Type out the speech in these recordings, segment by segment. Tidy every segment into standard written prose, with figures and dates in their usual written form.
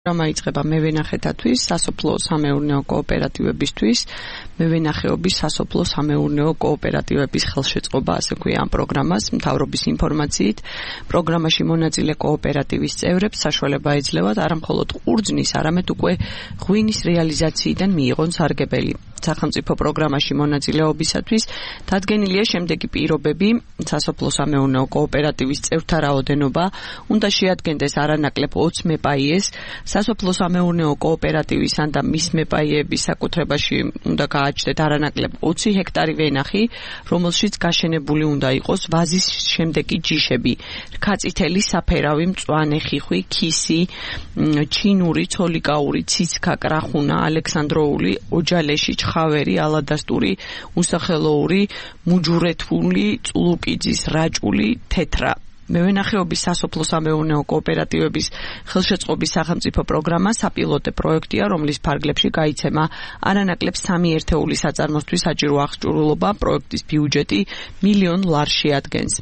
პროგრამა იწყება მევენახეთათვის, სასოფლო სამეურნეო კოოპერატივებისთვის, მევენახეობის სასოფლო სამეურნეო კოოპერატივების ხელშეწყობა, ასე ქვია ამ პროგრამას, მთავრობის ინფორმაციით. პროგრამაში მონაწილე კოოპერატივის წევრებს საშუალება ეძლევათ არა მხოლოდ ყურძნის, არამედ უკვე ღვინის რეალიზაციიდან მიიღონ სარგებელი. სახელმწიფო პროგრამაში მონაწილეობისათვის დადგენილია შემდეგი პირობები: სასოფლო სამეურნეო კოოპერატივის წევრთა რაოდენობა უნდა შეადგენდეს არანაკლებ 20 მეპაიეს, სასოფლო სამეურნეო კოოპერატივის ან და მის მეპაიების საკუთრებაში უნდა გააჩნდეთ არანაკლებ 20 ჰექტარი ვენახი, რომელშიც გაშენებული უნდა იყოს ვაზის შემდეგი ჯიშები: რქაწითელი, საფერავი, მწვანე, ხიხვი, ქისი, ჩინური, ცოლიკაური, ციცქა, კრახუნა, ალექსანდროული, ოჯალეში, ხავერი, ალადასტური, უსახელოური, მუჯურეთული, წულუკიძის, რაჭული, თეთრა. მევენახეობის სასოფლო სამეურნეო კოოპერატივების ხელშეწყობის სახელმწიფო პროგრამა საპილოტე პროექტია, რომლის ფარგლებში გაიცემა არანაკლებ 3 ერთეული საწარმოსთვის საჭირო აღჭურვილობა. პროექტის ბიუჯეტი $1 მილიონ შეადგენს.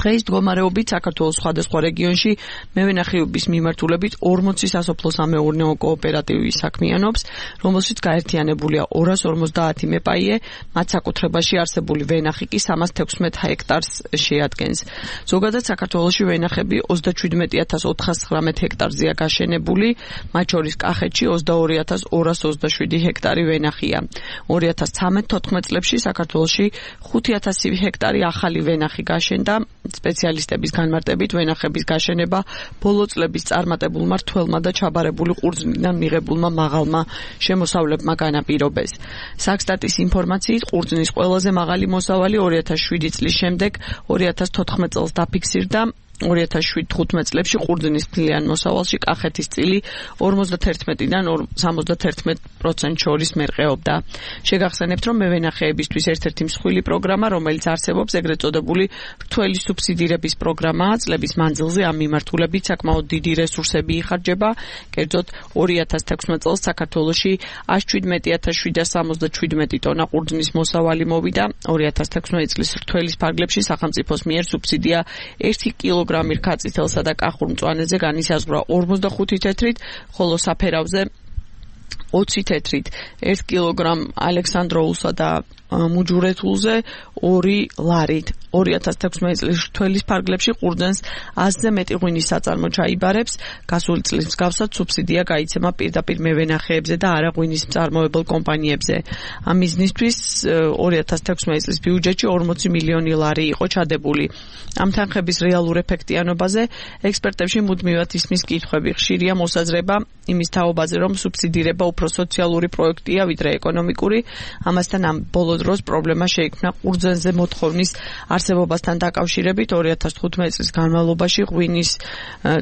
დღეს მდგომარეობით საქართველოს სხვადასხვა რეგიონში მევენახეობის მიმართულებით 40 სასოფლო სამეურნეო კოოპერატივი საქმიანობს, რომელშიც გაერთიანებულია 250 მეპაიე, მათ საკუთრებაში არსებული ვენახი კი 316 ჰექტარს შეადგენს. ზოგადად საქართველოში ვენახები 37419 ჰექტარზეა გაშენებული, მათ შორის კახეთში 22227 ჰექტარი ვენახია. 2013-14 წლებში საქართველოში 5000 ჰექტარი ახალი ვენახი გაშენდა. სპეციალისტების განმარტებით ვენახების გაშენება ბოლო წლების წარმატებულმა რთველმა და ჩაბარებული ყურძნიდან მიღებულმა მაღალმა შემოსავლებმა განაპირობეს. საქსტატის ინფორმაციით ყურძნის ყველაზე მაღალი მოსავალი 2007 წლის შემდეგ 2014 წელს დაფიქსირდა. 2007-15 წლებში ყურძნის მთლიან მოსავალში კახეთის წილი 51-დან 71% შორის მერყეობდა. შეგახსენებთ, რომ მევენახეებისთვის ერთ-ერთი მსხვილი პროგრამა, რომელიც არსებობს, ეგრეთ წოდებული რთველი სუბსიდირების პროგრამაა. წლების მანძილზე ამ მიმართულებით საკმაოდ დიდი რესურსები იხარჯება. კერძოდ 2016 წელს საქართველოში 117,777 ტონა ყურძნის მოსავალი მოვიდა. 2016 წლის რთველის ფარგლებში სახელმწიფოს მიერ სუბსიდია 1 კილოგრამი რქაწითელსა და კახურ მწვანეზე განისაზღვრა 45 თეთრით, ხოლო საფერავზე 20 თეთრით, 1 კილოგრამ ალექსანდროულსა და მუჯურეთულზე 2 ლარით. 2016 წლის რთველის ფარგლებში ყურძნს 100-ზე მეტი ღვინის საწარმო ჩაიბარებს. გასული წლის მსგავსად სუბსიდია გაიცემა პირდაპირ მევენახეებზე და არა ღვინის მწარმოებელ კომპანიებზე. ამ მიზნისთვის 2016 წლის ბიუჯეტში 40 მილიონი ლარი იყო ჩადებული. ამ თანხების რეალურ ეფექტიანობაზე ექსპერტებში მუდმივად ისმის კითხვები. ხშირია მოსაზრება იმის თაობაზე, რომ სუბსიდირება უფრო სოციალური პროექტია, ვიდრე ეკონომიკური. ამასთან ამ ბოლო დროს პრობლემა შეიქმნა ყურძნზე მოთხოვნის არსებობასთან დაკავშირებით. 2015 წლის განმავლობაში ღვინის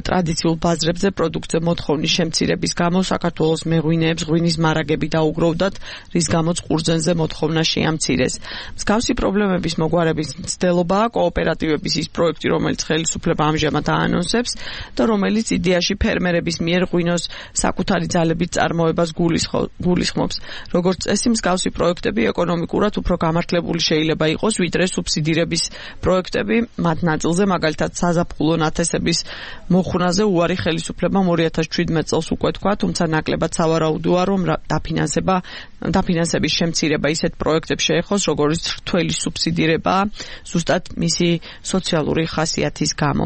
ტრადიციულ ბაზრებზე პროდუქტზე მოთხოვნის შემცირების გამო საქართველოს მეღვინეებს ღვინის მარაგები დაუგროვდათ, რის გამოც ყურძნზე მოთხოვნა შეამცირეს. მსგავსი პრობლემების მოგვარების მცდელობაა კოოპერატივების ის პროექტი, რომელიც ხელისუფლება ამჟამად აანონსებს და რომელიც იდეაში ფერმერების მიერ ღვინოს საკუთარი ძალებით წარმოებას გულისხმობს. როგორც წესი, მსგავსი პროექტები ეკონომიკურად უფრო გამართლებული შეიძლება იყოს, ვიდრე სუბსიდირების პროექტები. მათ ნაწილზე, მაგალითად, საზაფხულო ნათესების მოხვნაზე უარი ხელისუფლებამ 2017 წელს უკვე თქვა, თუმცა ნაკლებად სავარაუდოა, რომ დაფინანსების შემცირება ისეთ პროექტებს შეეხოს, როგორც რთველი სუბსიდირება, ზუსტად მისი სოციალური ხასიათის გამო.